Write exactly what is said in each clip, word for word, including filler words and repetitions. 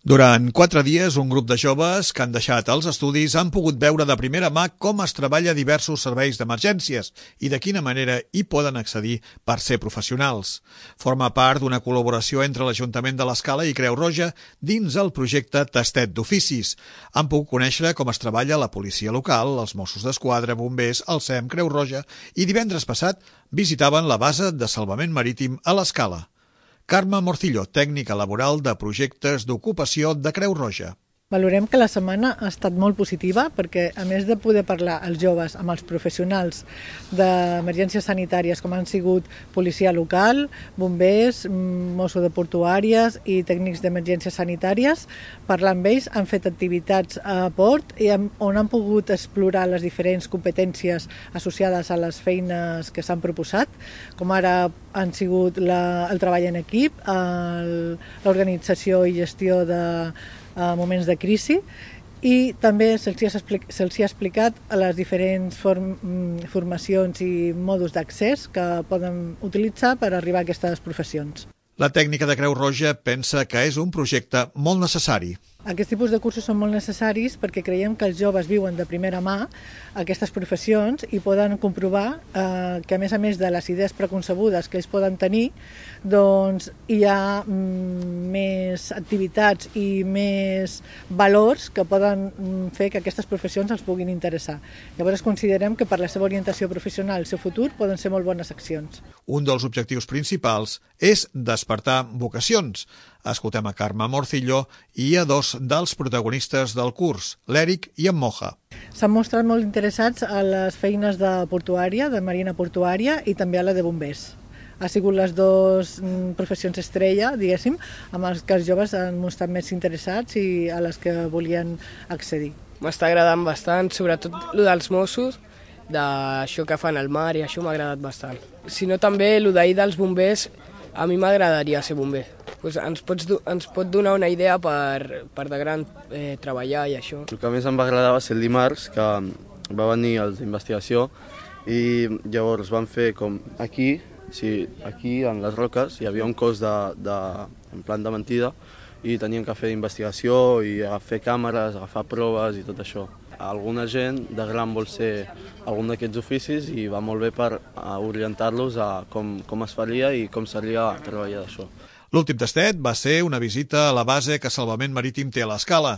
Durant quatre dies, un grup de joves que han deixat els estudis han pogut veure de primera mà com es treballa diversos serveis d'emergències i de quina manera hi poden accedir per ser professionals. Forma part d'una col·laboració entre l'Ajuntament de l'Escala i Creu Roja dins el projecte Tastet d'Oficis. Han pogut conèixer com es treballa la policia local, els Mossos d'Esquadra, bombers, el S E M, Creu Roja i divendres passat visitaven la base de salvament marítim a l'Escala. Carme Morcillo, tècnica laboral de projectes d'ocupació de Creu Roja. Valorem que la setmana ha estat molt positiva perquè, a més de poder parlar els joves amb els professionals d'emergències sanitàries com han sigut policia local, bombers, Mosso de portuàries i tècnics d'emergències sanitàries, parlar amb ells, han fet activitats a port i on han pogut explorar les diferents competències associades a les feines que s'han proposat, com ara han sigut la, el treball en equip, l'organització i gestió de a moments de crisi i també se'ls ha, se ha explicat les diferents form, formacions i mòduls d'accés que poden utilitzar per arribar a aquestes professions. La tècnica de Creu Roja pensa que és un projecte molt necessari. Aquests tipus de cursos són molt necessaris perquè creiem que els joves viuen de primera mà aquestes professions i poden comprovar eh, que a més a més de les idees preconcebudes que ells poden tenir, doncs hi ha mm, més activitats i més valors que poden mm, fer que aquestes professions els puguin interessar. Llavors considerem que per la seva orientació professional, el seu futur, poden ser molt bones accions. Un dels objectius principals és despertar vocacions. Escoltem a Carme Morcillo i a dos dels protagonistes del curs, l'Eric i en Moja. S'han mostrat molt interessats a les feines de portuària, de marina portuària i també a la de bombers. Ha sigut les dues professions estrella, diguéssim, amb les que els joves han mostrat més interessats i a les que volien accedir. M'està agradant bastant, sobretot el dels Mossos, d'això que fan al mar i això m'ha agradat bastant. Si no també el d'ahir dels bombers, a mi m'agradaria ser bomber. Pues ens, pots, ens pot donar una idea per, per de gran eh, treballar i això. El que més em va agradar va ser el dimarts, que va venir els d'investigació i llavors van fer com aquí, sí, aquí en les roques hi havia un cos de, de, en plan de mentida i tenien que fer investigació i fer càmeres, agafar proves i tot això. Alguna gent de gran vol ser algun d'aquests oficis i va molt bé per orientar-los a com, com es faria i com seria treballar d'això. L'últim tastet va ser una visita a la base que Salvament Marítim té a l'Escala,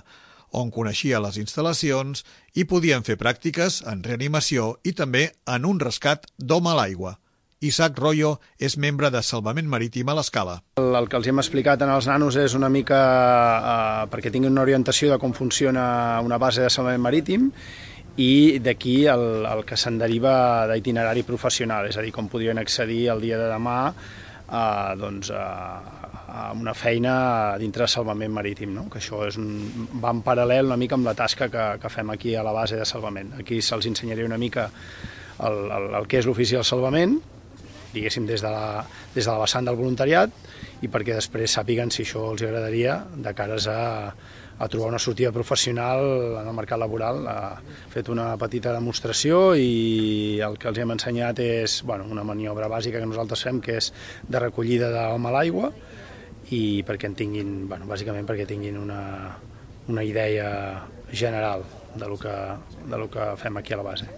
on coneixia les instal·lacions i podien fer pràctiques en reanimació i també en un rescat d'home a l'aigua. Isaac Royo és membre de Salvament Marítim a l'Escala. El, el que els hem explicat als nanos és una mica eh, perquè tinguin una orientació de com funciona una base de salvament marítim i d'aquí el, el que se'n deriva d'itinerari professional, és a dir, com podrien accedir el dia de demà a, doncs, a, a una feina dintre de salvament marítim, no? Que això és un, va en paral·lel una mica amb la tasca que, que fem aquí a la base de salvament. Aquí se'ls ensenyaria una mica el, el, el que és l'ofici del salvament, diguéssim des de, la, des de la vessant del voluntariat i perquè després sàpiguen si això els agradaria de cares a, a trobar una sortida professional en el mercat laboral. Ha fet una petita demostració i el que els hem ensenyat és bueno, una maniobra bàsica que nosaltres fem, que és de recollida d'home a l'aigua i perquè en tinguin, bueno, bàsicament perquè tinguin una, una idea general de lo que, de lo que fem aquí a la base.